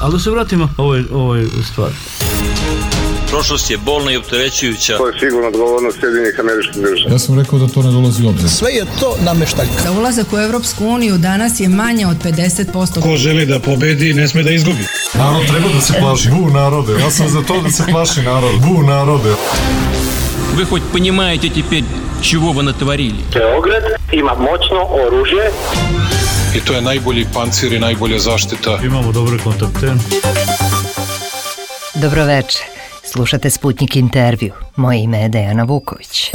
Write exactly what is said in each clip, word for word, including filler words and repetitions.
Ali da se vratimo ovoj, ovoj stvari. Prošlost je bolna i opterećujuća. To je sigurno odgovornost Sjedinjenih Američkih Država. Ja sam rekao da to ne dolazi u obzir. Sve je to nameštaljka. Da ulazak u Evropsku uniju danas je manje od pedeset posto. Ko želi da pobedi, ne sme da izgubi. Narod treba da se plaši. Bu narode. Ja sam za to da se plaši narod. Bu narode. Вы хоть понимаете теперь, чего вы натворили? Beograd ima moćno oružje. I to je najbolji pancir i najbolja zaštita. Imamo dobre kontakte. Dobroveče. Slušate Sputnik intervju. Moje ime je Dejana Vuković.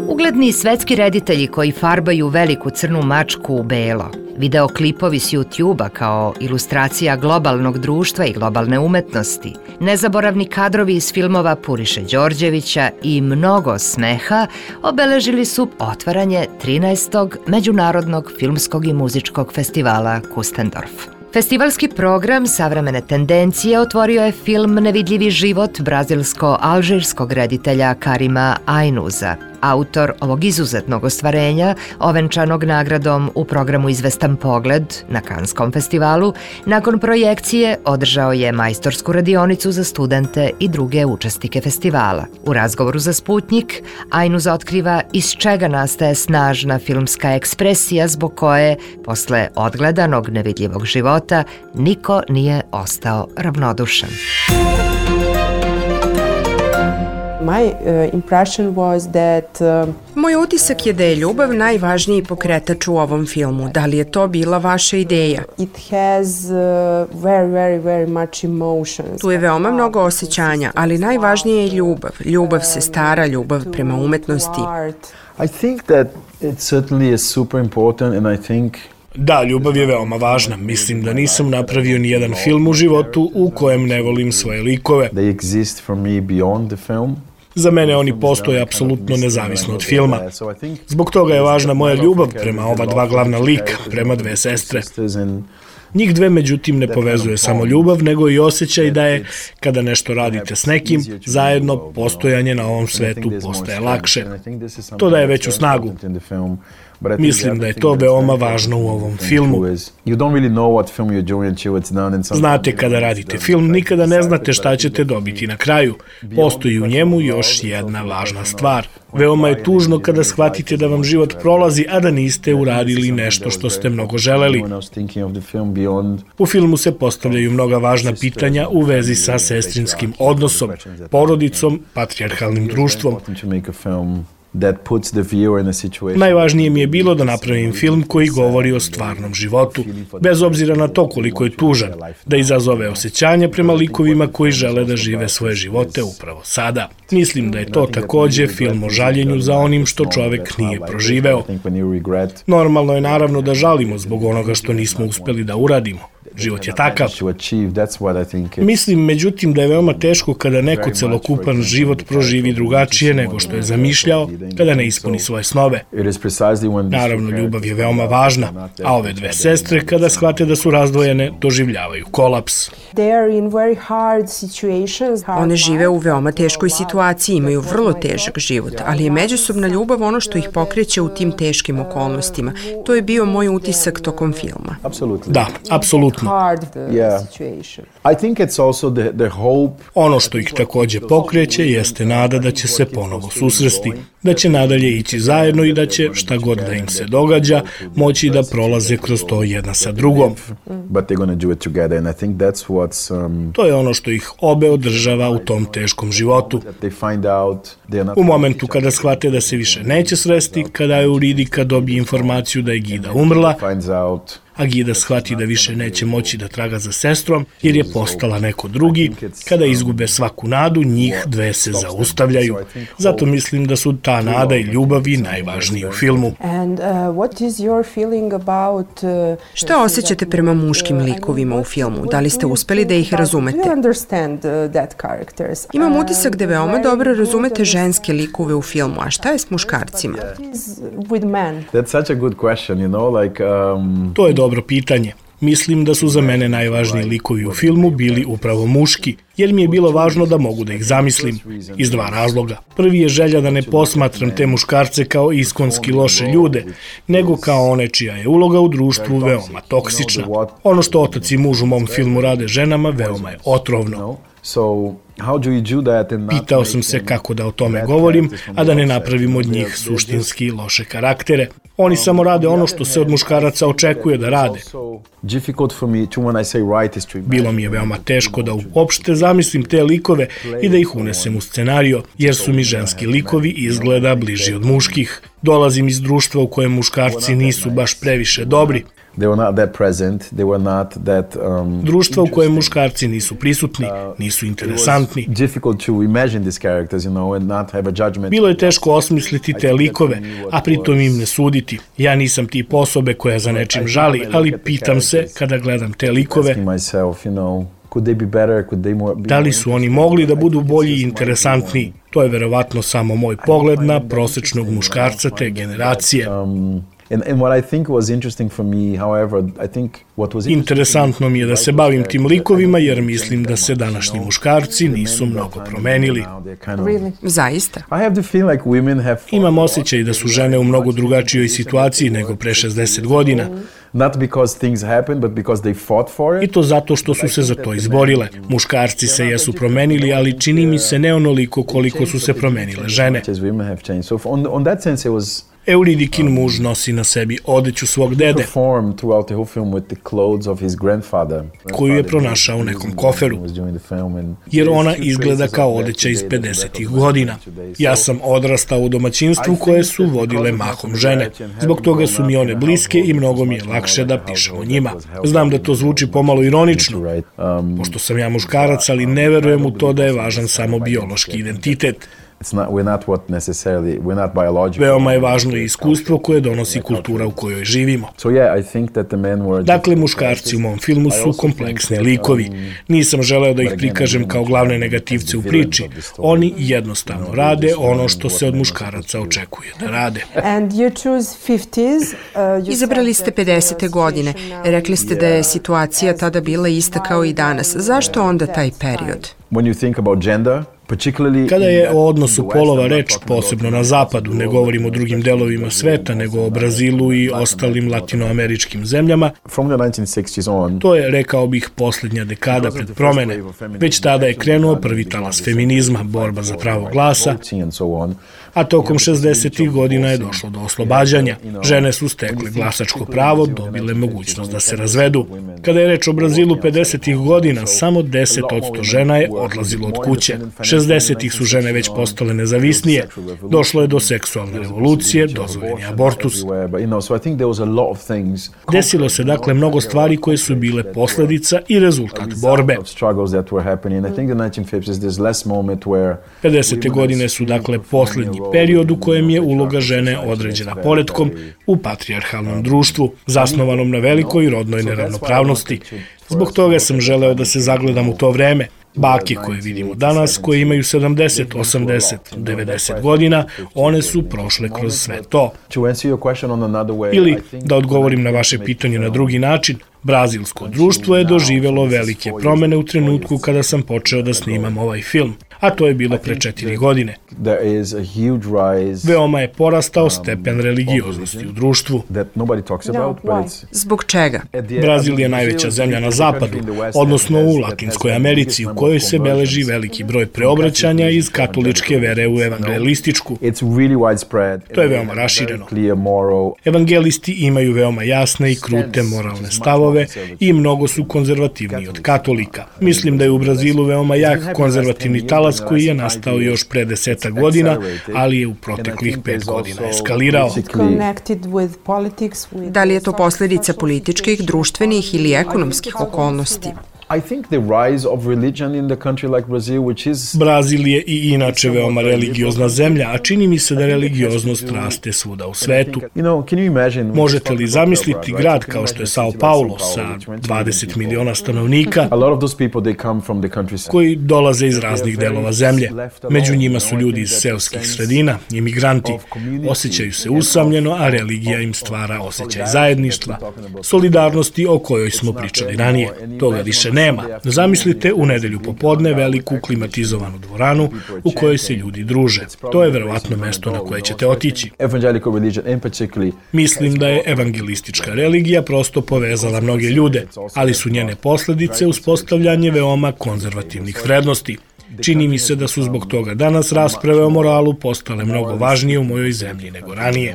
Ugledni svetski reditelji koji farbaju veliku crnu mačku u belo, videoklipovi s YouTube-a kao ilustracija globalnog društva i globalne umetnosti, nezaboravni kadrovi iz filmova Puriše Đorđevića i mnogo smeha obeležili su otvaranje trinaestog Međunarodnog filmskog i muzičkog festivala Kustendorf. Festivalski program Savremene tendencije otvorio je film Nevidljivi život brazilsko-alžirskog reditelja Karima Ainuza. Autor ovog izuzetnog ostvarenja, ovenčanog nagradom u programu Izvestan pogled na Kanskom festivalu, nakon projekcije održao je majstorsku radionicu za studente i druge učesnike festivala. U razgovoru za Sputnik, Ainuz otkriva iz čega nastaje snažna filmska ekspresija zbog koje, posle odgledanog Nevidljivog života, niko nije ostao ravnodušan. My uh, impression was that uh, Moj utisak je da je ljubav najvažniji pokretač u ovom filmu. Da li je to bila vaša ideja? It has uh, very very very much emotions. Tu je veoma mnogo osjećanja, ali najvažnije je ljubav. Ljubav se stara, ljubav prema umetnosti. I think that it certainly is super important and I think Da, ljubav je veoma važna. Mislim da nisam napravio ni jedan film u životu u kojem ne volim svoje likove. They exist for me beyond the film. Za mene oni postoje apsolutno nezavisno od filma. Zbog toga je važna moja ljubav prema ova dva glavna lika, prema dve sestre. Njih dve, međutim, ne povezuje samo ljubav, nego i osjećaj da je, kada nešto radite s nekim, zajedno postojanje na ovom svetu postaje lakše. To daje veću snagu. Mislim da je to veoma važno u ovom filmu. Znate, kada radite film, nikada ne znate šta ćete dobiti na kraju. Postoji u njemu još jedna važna stvar. Veoma je tužno kada shvatite da vam život prolazi, a da niste uradili nešto što ste mnogo želeli. U filmu se postavljaju mnoga važna pitanja u vezi sa sestrinskim odnosom, porodicom, patrijarhalnim društvom. Najvažnije mi je bilo da napravim film koji govori o stvarnom životu, bez obzira na to koliko je tužan, da izazove osjećanja prema likovima koji žele da žive svoje živote upravo sada. Mislim da je to takođe film o žaljenju za onim što čovek nije proživeo. Normalno je naravno da žalimo zbog onoga što nismo uspeli da uradimo. Život je takav. Mislim, međutim, da je veoma teško kada neko celokupan život proživi drugačije nego što je zamišljao, kada ne ispuni svoje snove. Naravno, ljubav je veoma važna, a ove dve sestre, kada shvate da su razdvojene, doživljavaju kolaps. One žive u veoma teškoj situaciji, imaju vrlo težak život, ali je međusobna ljubav ono što ih pokreće u tim teškim okolnostima. To je bio moj utisak tokom filma. Da, apsolutno. Ono što ih takođe pokreće jeste nada da će se ponovo susresti, da će nadalje ići zajedno i da će, šta god da im se događa, moći da prolaze kroz to jedna sa drugom. To je ono što ih obe održava u tom teškom životu. U momentu kada shvate da se više neće sresti, kada Euridika dobije informaciju da je Gida umrla, a Gida shvati da više neće moći da traga za sestrom, jer je postala neko drugi, kada izgube svaku nadu, njih dve se zaustavljaju. Zato mislim da su ta nada i ljubav i najvažniji u filmu. Šta osjećate prema muškim likovima u filmu? Da li ste uspeli da ih razumete? Imam utisak da veoma dobro razumete ženske likove u filmu, a šta je s muškarcima? To je dobro pitanje. Mislim da su za mene najvažniji likovi u filmu bili upravo muški, jer mi je bilo važno da mogu da ih zamislim, iz dva razloga. Prvi je želja da ne posmatram te muškarce kao iskonski loše ljude, nego kao one čija je uloga u društvu veoma toksična. Ono što otac i muž u mom filmu rade ženama veoma je otrovno. Pitao sam se kako da o tome govorim, a da ne napravim od njih suštinski loše karaktere. Oni samo rade ono što se od muškaraca očekuje da rade. Bilo mi je veoma teško da uopšte zamislim te likove i da ih unesem u scenario, jer su mi ženski likovi izgleda bliži od muških. Dolazim iz društva u kojem muškarci nisu baš previše dobri. Društva u kojem muškarci nisu prisutni, nisu interesantni. Bilo je teško osmisliti te likove, a pritom im ne suditi. Ja nisam tip osobe koja za nečim žali, ali pitam se kada gledam te likove, da li su oni mogli da budu bolji i interesantniji? To je verovatno samo moj pogled na prosečnog muškarca te generacije. Interesantno mi je da se bavim tim likovima, jer mislim da se današnji muškarci nisu mnogo promenili. Zaista? Imam osjećaj da su žene u mnogo drugačijoj situaciji nego pre šezdeset godina. I to zato što su se za to izborile. Muškarci se jesu promenili, ali čini mi se ne onoliko koliko su se promenile žene. Euridikin muž nosi na sebi odeću svog dede, koju je pronašao u nekom koferu, jer ona izgleda kao odeća iz pedesetih godina. Ja sam odrastao u domaćinstvu koje su vodile mahom žene. Zbog toga su mi one bliske i mnogo mi je lakše da pišem o njima. Znam da to zvuči pomalo ironično, pošto sam ja muškarac, ali ne verujem u to da je važan samo biološki identitet. Veoma je važno i iskustvo koje donosi kultura u kojoj živimo. Dakle, muškarci u mom filmu su kompleksni likovi. Nisam želeo da ih prikažem kao glavne negativce u priči. Oni jednostavno rade ono što se od muškaraca očekuje da rade. Izabrali ste pedesete godine. Rekli ste da je situacija tada bila ista kao i danas. Zašto onda taj period? Kada je o odnosu polova reč, posebno na zapadu, ne govorim o drugim delovima sveta, nego o Brazilu i ostalim latinoameričkim zemljama, to je, rekao bih, posljednja dekada pred promene. Već tada je krenuo prvi talas feminizma, borba za pravo glasa, a tokom šezdesetih godina je došlo do oslobađanja. Žene su stekle glasačko pravo, dobile mogućnost da se razvedu. Kada je reč o Brazilu pedesetih godina, samo deset posto žena je odlazilo od kuće. šezdesetih su žene već postale nezavisnije. Došlo je do seksualne revolucije, dozvoljen je abortus. Desilo se dakle mnogo stvari koje su bile posledica i rezultat borbe. pedesete godine su dakle posljednji period u kojem je uloga žene određena poretkom u patrijarhalnom društvu, zasnovanom na velikoj rodnoj neravnopravnosti. Zbog toga sam želeo da se zagledam u to vreme. Bake koje vidimo danas, koje imaju sedamdeset, osamdeset, devedeset godina, one su prošle kroz sve to. Ili, da odgovorim na vaše pitanje na drugi način, brazilsko društvo je doživjelo velike promene u trenutku kada sam počeo da snimam ovaj film, a to je bilo pre četiri godine. Veoma je porastao stepen religioznosti u društvu. Zbog čega? Brazil je najveća zemlja na zapadu, odnosno u Latinskoj Americi, u kojoj se beleži veliki broj preobraćanja iz katoličke vere u evangelističku. To je veoma rašireno. Evangelisti imaju veoma jasne i krute moralne stavove i mnogo su konzervativniji od katolika. Mislim da je u Brazilu veoma jak konzervativni talas koji je nastao još pre desetak godina, ali je u proteklih pet godina eskalirao. Da li je to posljedica političkih, društvenih ili ekonomskih okolnosti? I think the rise of religion in the country like Brazil, which is... Brazil je i inače veoma religiozna zemlja, a čini mi se da religioznost raste svuda u svetu. Možete li zamisliti grad kao što je Sao Paulo sa dvadeset miliona stanovnika koji dolaze iz raznih delova zemlje? Među njima su ljudi iz seoskih sredina, imigranti. Osjećaju se usamljeno, a religija im stvara osjećaj zajedništva, solidarnosti o kojoj smo pričali ranije. Toga više nema. Zamislite u nedelju popodne veliku klimatizovanu dvoranu u kojoj se ljudi druže. To je verovatno mesto na koje ćete otići. Mislim da je evangelistička religija prosto povezala mnoge ljude, ali su njene posledice uspostavljanje veoma konzervativnih vrednosti. Čini mi se da su zbog toga danas rasprave o moralu postale mnogo važnije u mojoj zemlji nego ranije.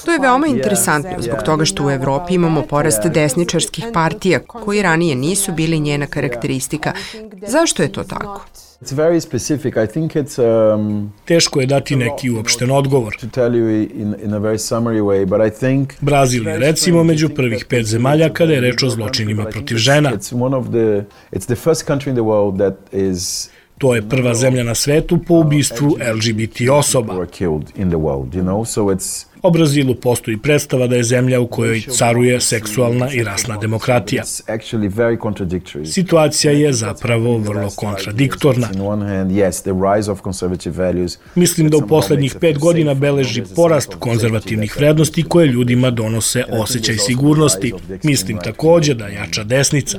To je veoma interesantno zbog toga što u Evropi imamo porast desničarskih partija koji ranije nisu bili njena karakteristika. Zašto je to tako? It's very specific. I think it's um, teško je dati neki uopšten odgovor. To tell you in in a very summary way, but I think Brazil je recimo među prvih pet zemalja kada je reč o zločinima protiv žena. It's one of the it's the first country in the world that is To je prva zemlja na svetu po ubistvu L G B T osoba. O Brazilu postoji predstava da je zemlja u kojoj caruje seksualna i rasna demokratija. Situacija je zapravo vrlo kontradiktorna. Mislim da u poslednjih pet godina beleži porast konzervativnih vrednosti koje ljudima donose osjećaj sigurnosti. Mislim takođe da jača desnica.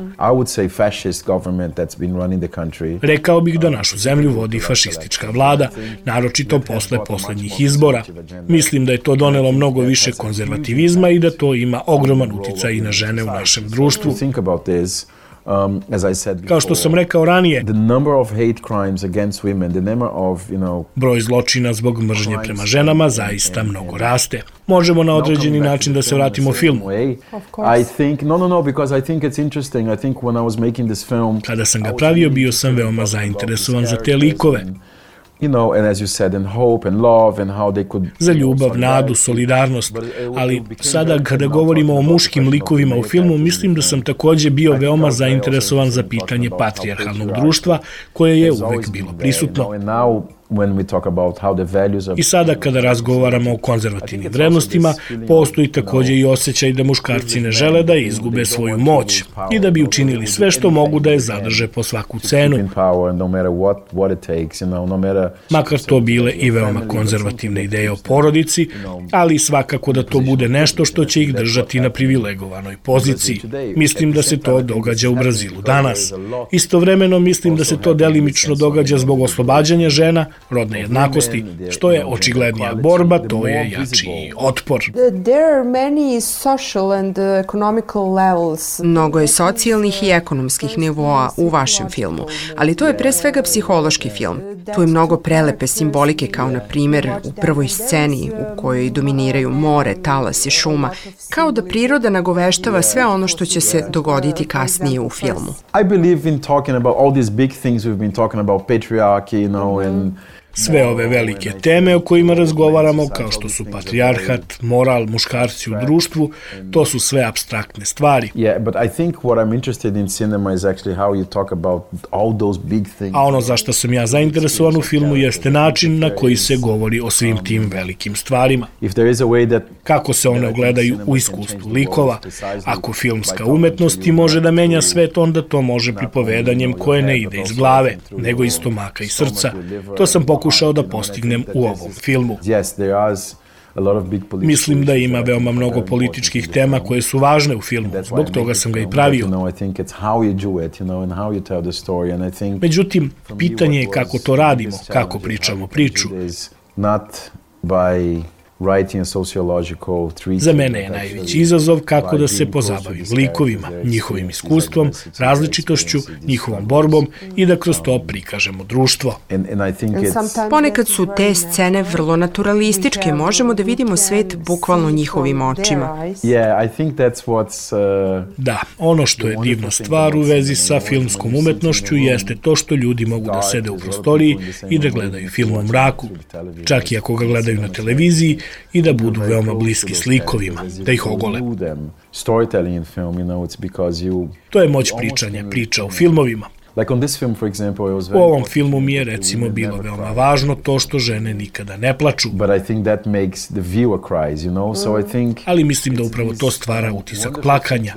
Rekao bih da našu zemlju vodi fašistička vlada, naročito posle poslednjih izbora. Mislim da je to donelo mnogo više konzervativizma i da to ima ogroman uticaj i na žene u našem društvu. Kao što sam rekao ranije, broj zločina zbog mržnje prema ženama zaista mnogo raste. Možemo na određeni način da se vratimo filmu. Kada sam ga pravio, bio sam veoma zainteresovan za te likove. Za ljubav, nadu, solidarnost, ali sada kada govorimo o muškim likovima u filmu, mislim da sam takođe bio veoma zainteresovan za pitanje patrijarhalnog društva koje je uvek bilo prisutno. I sada kada razgovaramo o konzervativnim vrednostima, postoji takođe i osjećaj da muškarci ne žele da izgube svoju moć i da bi učinili sve što mogu da je zadrže po svaku cenu. Makar to bile i veoma konzervativne ideje o porodici, ali svakako da to bude nešto što će ih držati na privilegovanoj poziciji. Mislim da se to događa u Brazilu danas. Istovremeno mislim da se to delimično događa zbog oslobađanja žena, rodne jednakosti, što je očiglednija borba, to je jači otpor. Mnogo je socijalnih i ekonomskih nivoa u vašem filmu, ali to je pre svega psihološki film. Tu je mnogo prelepe simbolike, kao na primjer u prvoj sceni u kojoj dominiraju more, talas i šuma, kao da priroda nagoveštava sve ono što će se dogoditi kasnije u filmu. I believe in talking about all these big things we've been talking about, patriarchy, you know, and sve ove velike teme o kojima razgovaramo, kao što su patrijarhat, moral, muškarci u društvu, to su sve apstraktne stvari. A ono za što sam ja zainteresovan u filmu jeste način na koji se govori o svim tim velikim stvarima. Kako se one ogledaju u iskustvu likova. Ako filmska umetnost i može da menja svet, onda to može pripovedanjem koje ne ide iz glave, nego iz stomaka i srca. To sam pokušao da postignem u ovom filmu. Mislim da ima veoma mnogo političkih tema koje su važne u filmu, zbog toga sam ga i pravio. Međutim, pitanje je kako to radimo, kako pričamo priču. Za mene je najveći izazov kako da se pozabavim likovima, njihovim iskustvom, različitošću, njihovom borbom i da kroz to prikažemo društvo. Ponekad su te scene vrlo naturalističke, možemo da vidimo svet bukvalno njihovim očima. Da, ono što je divna stvar u vezi sa filmskom umetnošću jeste to što ljudi mogu da sede u prostoriji i da gledaju film u mraku. Čak i ako ga gledaju na televiziji, i da budu veoma bliski s likovima, da ih ogole. To je moć pričanja, priča o filmovima. U ovom filmu mi je recimo bilo veoma važno to što žene nikada ne plaču. Ali mislim da upravo to stvara utisak plakanja.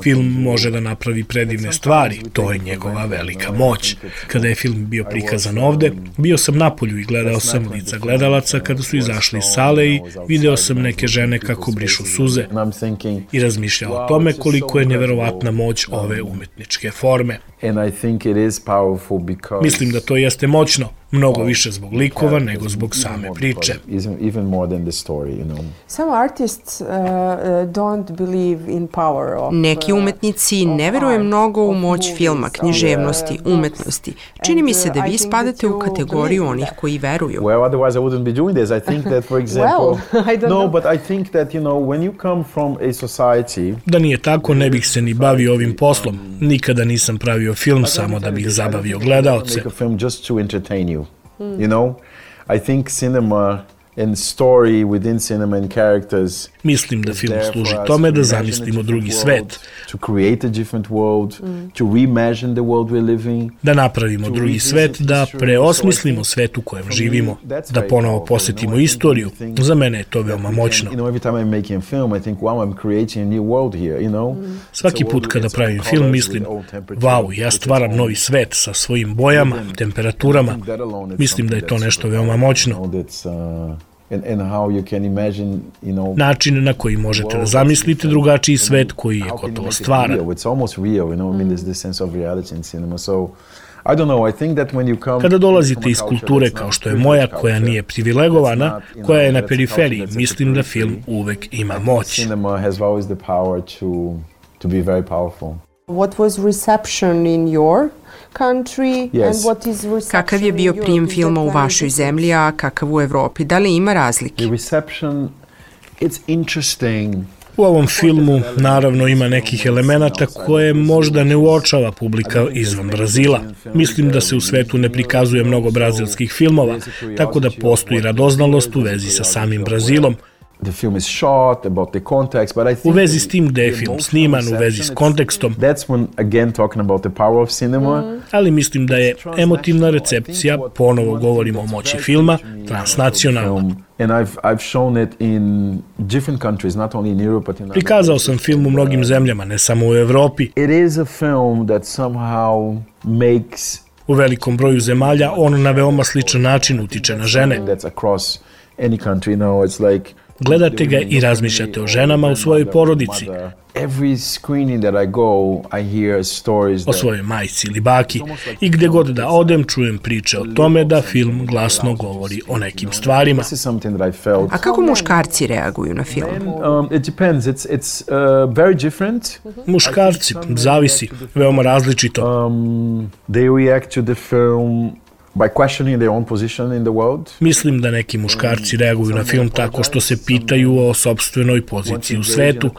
Film može da napravi predivne stvari, to je njegova velika moć. Kada je film bio prikazan ovde, bio sam napolju i gledao sam lica gledalaca kada su izašli iz sale i video sam neke žene kako brišu suze i razmišljao o tome koliko je neverovatna moć ove umetničke forme. Mislim da to jeste moćno, mnogo više zbog likova nego zbog same priče. Neki umetnici ne veruju mnogo u moć filma, književnosti, umetnosti. Čini mi se da vi spadate u kategoriju onih koji veruju. Da nije tako, ne bih se ni bavio ovim poslom. Nikada nisam pravio film samo da bih zabavio gledaoce. You know, I think cinema and story within cinema and characters. Mislim da film služi tome da zamislimo drugi svet. To create a different world, to reimagine the world we're living. Da napravimo drugi svet, da preosmislimo svet u kojem živimo, da ponovo posjetimo istoriju. Za mene je to veoma moćno. Svaki put kada pravim film mislim, wow, ja stvaram novi svet sa svojim bojama, temperaturama. Mislim da je to nešto veoma moćno. Način na koji možete da zamislite drugačiji svet koji je gotovo stvaran. Kada dolazite iz kulture kao što je moja, koja nije privilegovana, koja je na periferiji, mislim da film uvek ima moć. What was reception in your country yes. and what is reception Kakav je bio prijem filma u vašoj zemlji, a kakav u Evropi? Da li ima razlike? The reception, it's interesting. U ovom filmu naravno ima nekih elemenata koje možda ne uočava publika izvan Brazila. Mislim da se u svetu ne prikazuje mnogo brazilskih filmova, tako da postoji radoznalost u vezi sa samim Brazilom. The film is shot about the context, but I think u vezi s tim gde je film sniman, u vezi s kontekstom. That's when again talking about the power of cinema. Mm. Ali mislim da je emotivna recepcija, ponovo govorimo o moći filma, transnacionalna. And I've I've shown it in different countries, not only in Europe but in Prikazao sam film u mnogim zemljama, ne samo u Evropi. It is a film that somehow makes u velikom broju zemalja on na veoma sličan način utiče na žene. That's across any country now. It's like gledate ga i razmišljate o ženama u svojoj porodici. O svojoj majci ili baki. I gde god da odem, čujem priče o tome da film glasno govori o nekim stvarima. A kako muškarci reaguju na film? Muškarci, zavisi, veoma različito. They react to the film by questioning their own position in the world. Mislim da neki muškarci reaguju na film tako što se pitaju o sopstvenoj poziciji u svetu,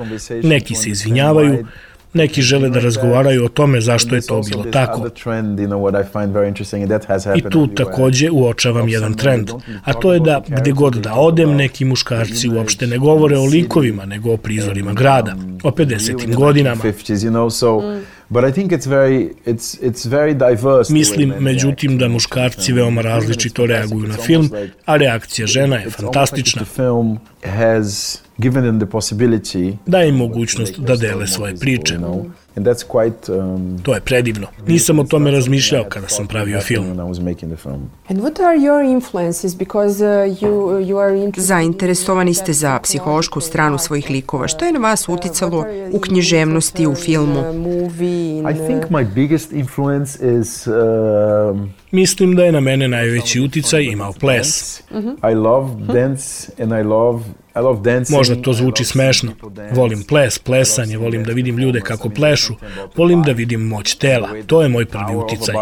neki se izvinjavaju, neki žele da razgovaraju o tome zašto je to bilo tako. I tu takođe uočavam jedan trend, a to je da gde god da odem, neki muškarci uopšte ne govore o likovima, nego o prizorima grada, o pedesetim godinama. But I think it's very it's it's very diverse. Mislim, međutim, da muškarci veoma različito reaguju na film, a reakcija žena je fantastična. Daje im mogućnost da dele svoje priče. And that's quite, um, to je predivno. Nisam o tome razmišljao kada sam pravio film. And what are your influences? Because uh, you, you are interested... Zainteresovani ste za psihološku stranu svojih likova. Što je na vas uticalo u književnosti, u filmu? I think my biggest influence is... Um, Mislim da je na mene najveći uticaj imao ples. I love dance and I love I love dancing. Možda to zvuči smešno. Volim ples, plesanje, volim da vidim ljude kako plešu, volim da vidim moć tela. To je moj prvi uticaj.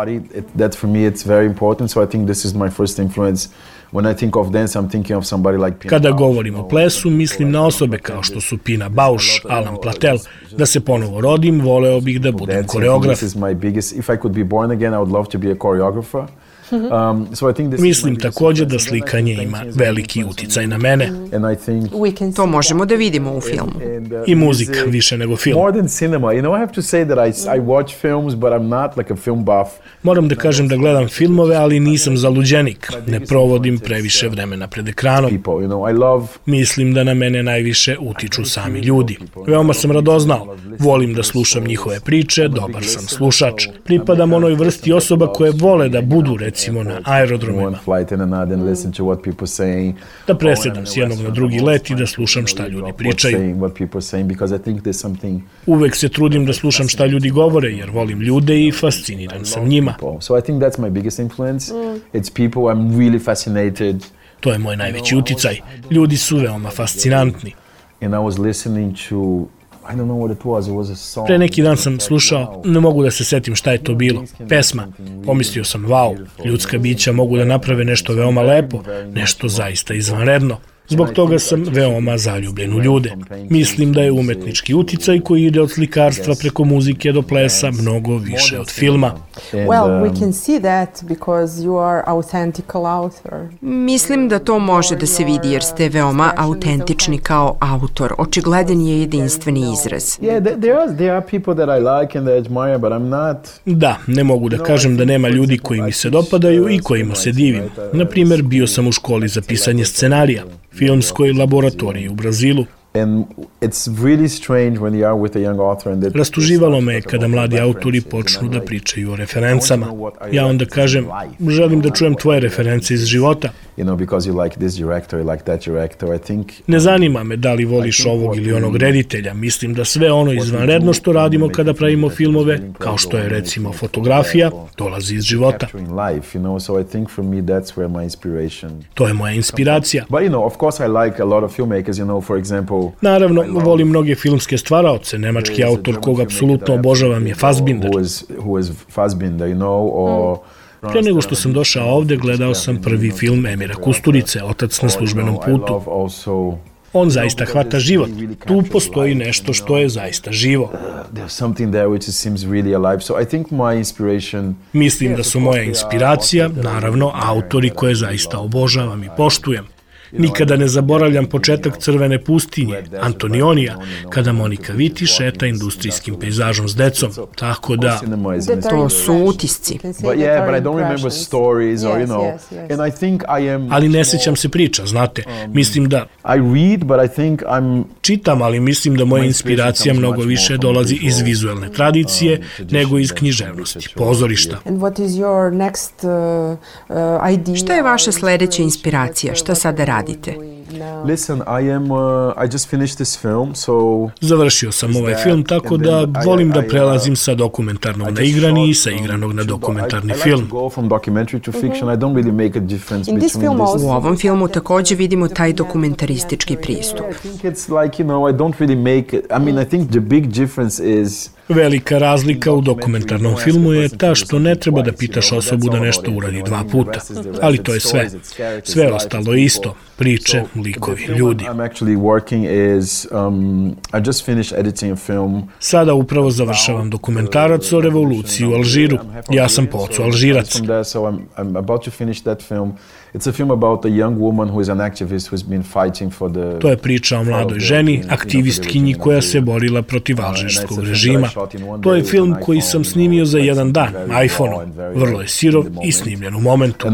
That for me it's very important, so I think this is my first influence. When I think of dance, I'm thinking of somebody like Pina. Kada govorim o plesu, mislim na osobe kao što su Pina Bausch, Alan Platel. Da se ponovo rodim, voleo bih da budem koreograf. This is my biggest. If I could be born again, I would love to be a choreographer. Um, so I think this Mislim također da slikanje ima veliki uticaj na mene. And I think To možemo da vidimo u filmu. I muzika više nego film. more than cinema. You know, I have to say that I, I watch films, but I'm not like a film buff. Moram da kažem da gledam filmove, ali nisam zaluđenik. Ne provodim previše vremena pred ekranom. People, you know, I love Mislim da na mene najviše utiču sami ljudi. Veoma sam radoznao. Volim da slušam njihove priče, dobar sam slušač. Pripadam onoj vrsti osoba koje vole da budu, recimo, na aerodromima. flight in another and listen to what people saying. Da presedam s jednog na drugi let i da slušam šta ljudi pričaju. What people saying because I think there's something. Uvek se trudim da slušam šta ljudi govore, jer volim ljude i fasciniran sam njima. So I think that's my biggest influence. It's people I'm really fascinated. To je moj najveći uticaj. Ljudi su veoma fascinantni. And I was listening to I don't know what it was. It was a song. Pre neki dan sam slušao, ne mogu da se setim šta je to bilo. Pesma. Pomislio sam, wow, ljudska bića mogu da naprave nešto veoma lepo, nešto zaista izvanredno. Zbog toga sam veoma zaljubljen u ljude. Mislim da je umetnički uticaj koji ide od slikarstva preko muzike do plesa mnogo više od filma. Well, we can see that because you are authentic author. Mislim da to može da se vidi jer ste veoma autentični kao autor. Očigledan je jedinstveni izraz. Yeah, there are there are people that I like and that I admire, but I'm not. Da, ne mogu da kažem da nema ljudi koji mi se dopadaju i kojima se divim. Na primjer, bio sam u školi za pisanje scenarija, filmskoj laboratoriji u Brazilu. And it's really strange when you are with a young author and that Rastuživalo me kada mladi autori počnu da pričaju o referencama. Ja onda kažem, želim da čujem tvoje reference iz života. You know, because you like this director, you like that director, I think. Ne zanima me da li voliš ovog ili onog reditelja. Mislim da sve ono izvanredno što radimo kada pravimo filmove, kao što je recimo fotografija, dolazi iz života. Life, you know, so I think for me that's where my inspiration. To je moja inspiracija. But you know, of course I like a lot of filmmakers, you know, for example. Naravno, volim mnoge filmske stvaraoce. Nemački autor koga apsolutno obožavam je Fassbinder. Who is, who is Fassbinder, you know, or Pre nego što sam došao ovde, gledao sam prvi film Emira Kusturice, Otac na službenom putu. On zaista hvata život. Tu postoji nešto što je zaista živo. Mislim da su moja inspiracija, naravno, autori koje zaista obožavam i poštujem. Nikada ne zaboravljam početak Crvene pustinje, Antonionija, kada Monika Viti šeta industrijskim pejzažom s decom. Tako da... To su utisci. Ali ne sećam se priča, znate. Mislim da... Čitam, ali mislim da moja inspiracija mnogo više dolazi iz vizuelne tradicije nego iz književnosti, pozorišta. Šta je vaša sledeća inspiracija? Šta sada radite? Listen, I am uh, I just finished this film, so završio sam ovaj film, tako da volim da prelazim sa dokumentarnog na igrani i sa igranog na dokumentarni film. U ovom filmu također vidimo taj dokumentaristički pristup. Velika razlika u dokumentarnom filmu je ta što ne treba da pitaš osobu da nešto uradi dva puta. Ali to je sve. Sve ostalo je isto. Priče, likovi, ljudi. Sada upravo završavam dokumentarac o revoluciji u Alžiru. Ja sam po ocu Alžirac. To je priča o mladoj ženi, aktivistkinji koja se borila protiv alžirskog režima. To je film koji sam snimio za jedan dan, iPhone-om. Vrlo je sirov i snimljen u momentu.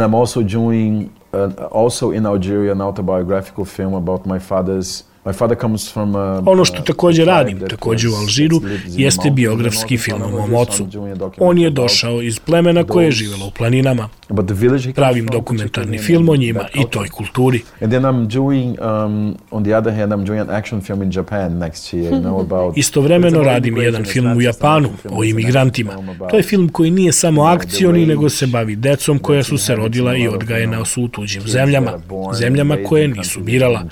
Uh, also in Algeria, an autobiographical film about my father's. My father comes from a, ono što također radim, također u Alžiru, jeste biografski film o mom ocu. On je došao iz plemena koje je živjelo u planinama. Pravim dokumentarni film o njima i toj kulturi. Istovremeno radim jedan film u Japanu o imigrantima. To je film koji nije samo akcioni, nego se bavi decom koja su se rodila i odgajena su u tuđim zemljama. Zemljama koje nisu birala.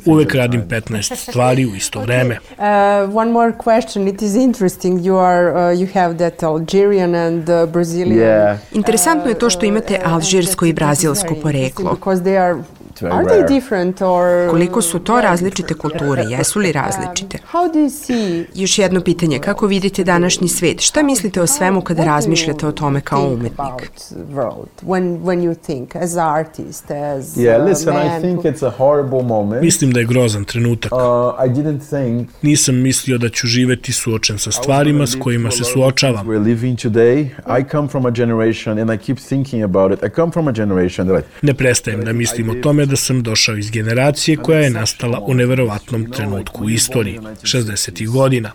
Uvek radim petnaest stvari u isto vreme. Uh, one more question. It is interesting. You are, uh, you have that Algerian and uh, Brazilian. Yeah. Interesantno je to što imate alžirsko i brazilsko poreklo. Because they are It's very Are rare. they different or... Koliko su to različite kulture? Jesu li različite? How do you see... Još jedno pitanje, kako vidite današnji svet? Šta mislite o svemu kada razmišljate o tome kao umetnik? When, when you think as artist, as Yeah, listen, I think it's a horrible moment. Mislim da je grozan trenutak. Uh, I didn't think... Nisam mislio da ću živeti suočen sa stvarima s kojima se suočavam. We're living today. I come from a generation and I keep thinking about it. I come from a generation that I... Ne prestajem da mislim o tome da sam došao iz generacije koja je nastala u neverovatnom trenutku u istoriji, šezdesetih godina.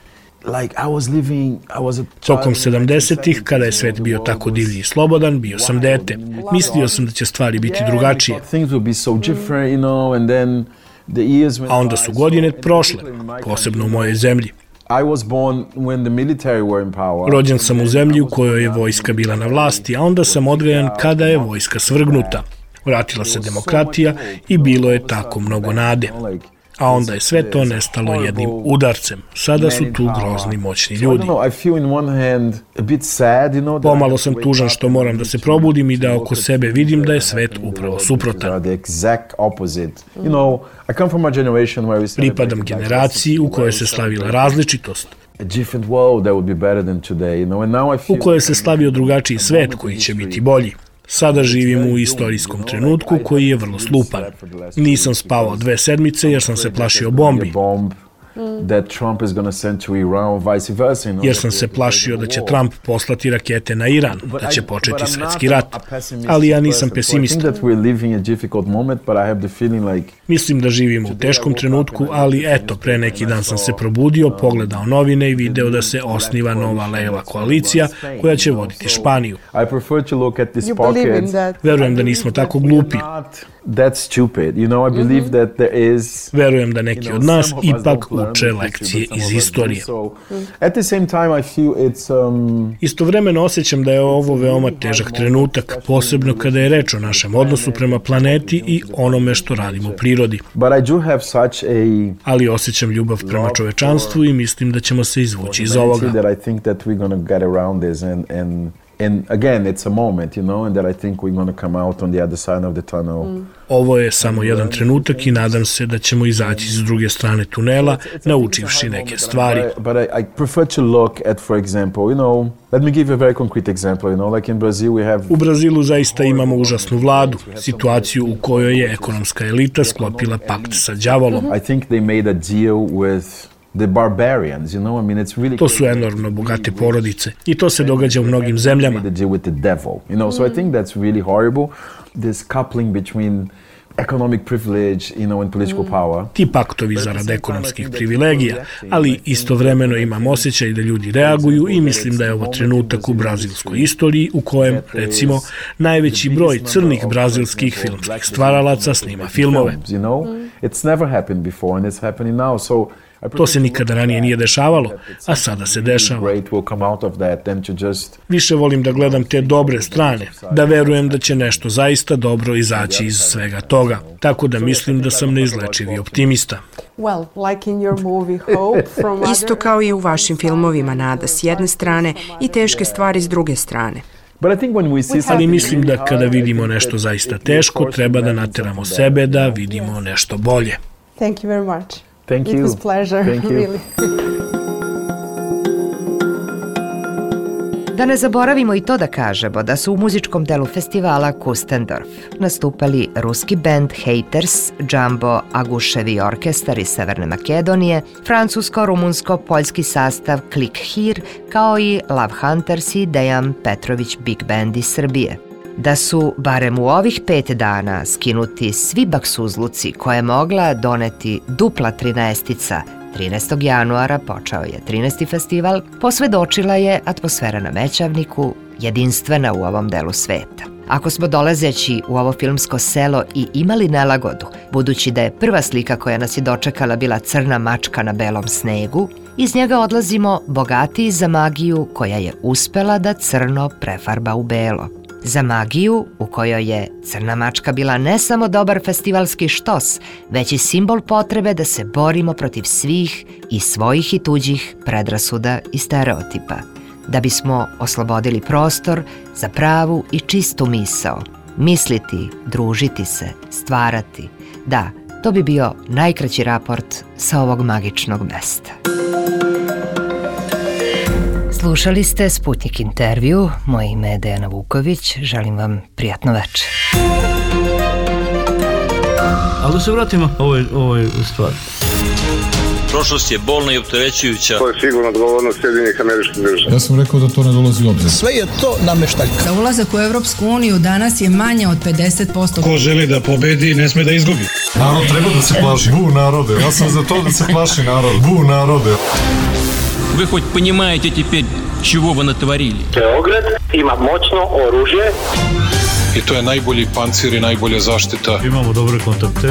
Like I was living, I was a Tokom sedamdesetih, kada je svet bio tako divlji i slobodan, bio sam dete. Mislio sam da će stvari biti drugačije. Things will be so different, you know, and then the years went A onda su godine prošle, posebno u mojoj zemlji. I was born when the military were in power. Rođen sam u zemlji u kojoj je vojska bila na vlasti, a onda sam odgajan kada je vojska svrgnuta. Vratila se demokratija i bilo je tako mnogo nade. A onda je sve to nestalo jednim udarcem. Sada su tu grozni, moćni ljudi. Pomalo sam tužan što moram da se probudim i da oko sebe vidim da je svet upravo suprotan. Pripadam generaciji u kojoj se slavila različitost, u kojoj se slavio drugačiji svet koji će biti bolji. Sada živim u istorijskom trenutku koji je vrlo slupan. Nisam spavao dve sedmice jer sam se plašio bombi. Jer sam se plašio da će Trump poslati rakete na Iran, da će početi svetski rat. Ali ja nisam pesimista. Mislim da živimo u teškom trenutku, ali eto, pre neki dan sam se probudio, pogledao novine i video da se osniva nova leva koalicija koja će voditi Španiju. Verujem da nismo tako glupi. Verujem da neki od nas ipak uče lekcije iz istorije. Istovremeno osjećam da je ovo veoma težak trenutak, posebno kada je reč o našem odnosu prema planeti i onome što radimo u prirodi. Ali osjećam ljubav prema čovečanstvu i mislim da ćemo se izvući iz ovoga. And again, it's a moment, you know, and that I think we're going to come out on the other side of the tunnel. Mm. Ovo je samo jedan trenutak i nadam se da ćemo izaći s druge strane tunela, naučivši neke stvari. But I, I prefer to look at, for example, you know, let me give you a very concrete example, you know, like in Brazil we have... U Brazilu zaista imamo užasnu vladu, situaciju u kojoj je ekonomska elita sklopila pakt sa đavolom. I think they made a deal with the barbarians, you know, I mean, it's really... To su enormno bogate porodice i to se događa u mnogim zemljama. They deal with the devil, you know, so I think that's really horrible, this coupling between economic privilege, you know, and political power. Ti paktovi zarad ekonomskih privilegija, ali istovremeno imam osjećaj da ljudi reaguju i mislim da je ovo trenutak u brazilskoj istoriji u kojem, recimo, najveći broj crnih brazilskih filmskih stvaralaca snima filmove. You know, it's never happened before and it's happening now, so to se nikada ranije nije dešavalo, a sada se dešava. Više volim da gledam te dobre strane, da verujem da će nešto zaista dobro izaći iz svega toga. Tako da mislim da sam neizlečivi optimista. Isto kao i u vašim filmovima, nada s jedne strane i teške stvari s druge strane. Ali mislim da kada vidimo nešto zaista teško, treba da nateramo sebe da vidimo nešto bolje. Thank you very much. Thank you. It was pleasure, Thank you. really. Da ne zaboravimo i to da kažemo da su u muzičkom delu festivala Kustendorf nastupali ruski band Haters, Jumbo Aguševi orkestar iz Severne Makedonije, francusko-rumunsko-poljski sastav Klik Hir, kao i Love Hunters i Dejan Petrović Big Band iz Srbije. Da su, barem u ovih pet dana, skinuti svi baksuzluci koje je mogla doneti dupla trinaestica, trinaestog januara počeo je trinaesti festival, posvedočila je atmosfera na Mećavniku, jedinstvena u ovom delu sveta. Ako smo dolazeći u ovo filmsko selo i imali nelagodu, budući da je prva slika koja nas je dočekala bila crna mačka na belom snegu, iz njega odlazimo bogatiji za magiju koja je uspela da crno prefarba u belo. Za magiju u kojoj je crna mačka bila ne samo dobar festivalski štos, već i simbol potrebe da se borimo protiv svih i svojih i tuđih predrasuda i stereotipa, da bismo oslobodili prostor za pravu i čistu misao, Misliti, družiti se, stvarati. Da, to bi bio najkraći raport sa ovog magičnog mesta. Slušali ste Sputnik intervju. Moje ime je Dejana Vuković. Želim vam prijatno večer. Ali da se vratimo ovoj, ovoj stvari. Prošlost je bolna i opterećujuća. To je sigurno odgovornost Sjedinjenih Američkih Država. Ja sam rekao da to ne dolazi u obzir. Sve je to nameštaljka. Za ulazak u Evropsku uniju danas je manje od pedeset posto. Ko želi da pobedi, ne sme da izgubi. Narod treba da se plaši. Bu narode. Ja sam za to da se plaši narod. Bu narode. Вы хоть понимаете теперь, чего вы натворили? Beograd ima moćno oružje. I to je najbolji pancir i najbolja zaštita. Imamo dobre kontakte.